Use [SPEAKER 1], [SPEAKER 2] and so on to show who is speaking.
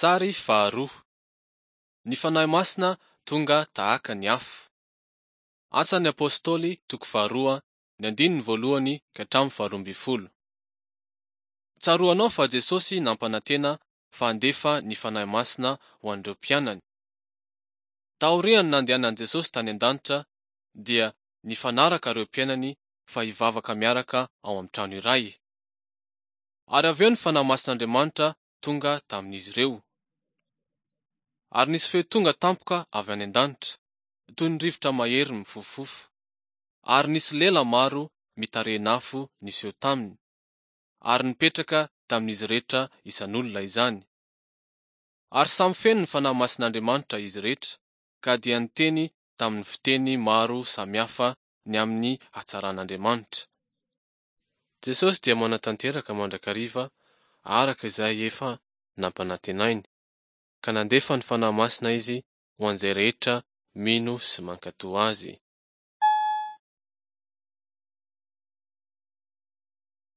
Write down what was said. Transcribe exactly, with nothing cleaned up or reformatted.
[SPEAKER 1] Sary faharoa. Ny Fanahy Masina tonga tahaka ny afo. Asan'ny Apostoly toko faharoa ny andininy voalohany ka hatramin'ny faharoa ambin'ny folo. Tsaroanao fa Jesosy nampanantena fa handefa ny Fanahy Masina ho an'ireo mpianany. Taorian'ny nandehanan'i Jesosy tany an-danitra dia nifanaraka ireo mpianany fa hivavaka miaraka ao amin'ny trano iray. Ary avy eo ny Fanahy Masin'Andriamanitra tonga tamin'izy ireo. Ary nisy feo tonga tampoka avy any an-danitra, toy ny rivotra mahery mifofofofo, ary nisy lela maro mitarehin'afo niseho taminy, ary nipetraka tamin'izy rehetra isan'olona izany. Ary samy feno ny Fanahy Masin'Andriamanitra izy rehetra, ka dia niteny tamin'ny fiteny maro samihafa ny amin'ny hatsaran'Andriamanitra. Jesosy dia manatanteraka mandrakariva araka izay efa nampanantenainy, ka nandefa ny Fanahy Masina Izy ho an'izay rehetra mino sy mankatò Azy.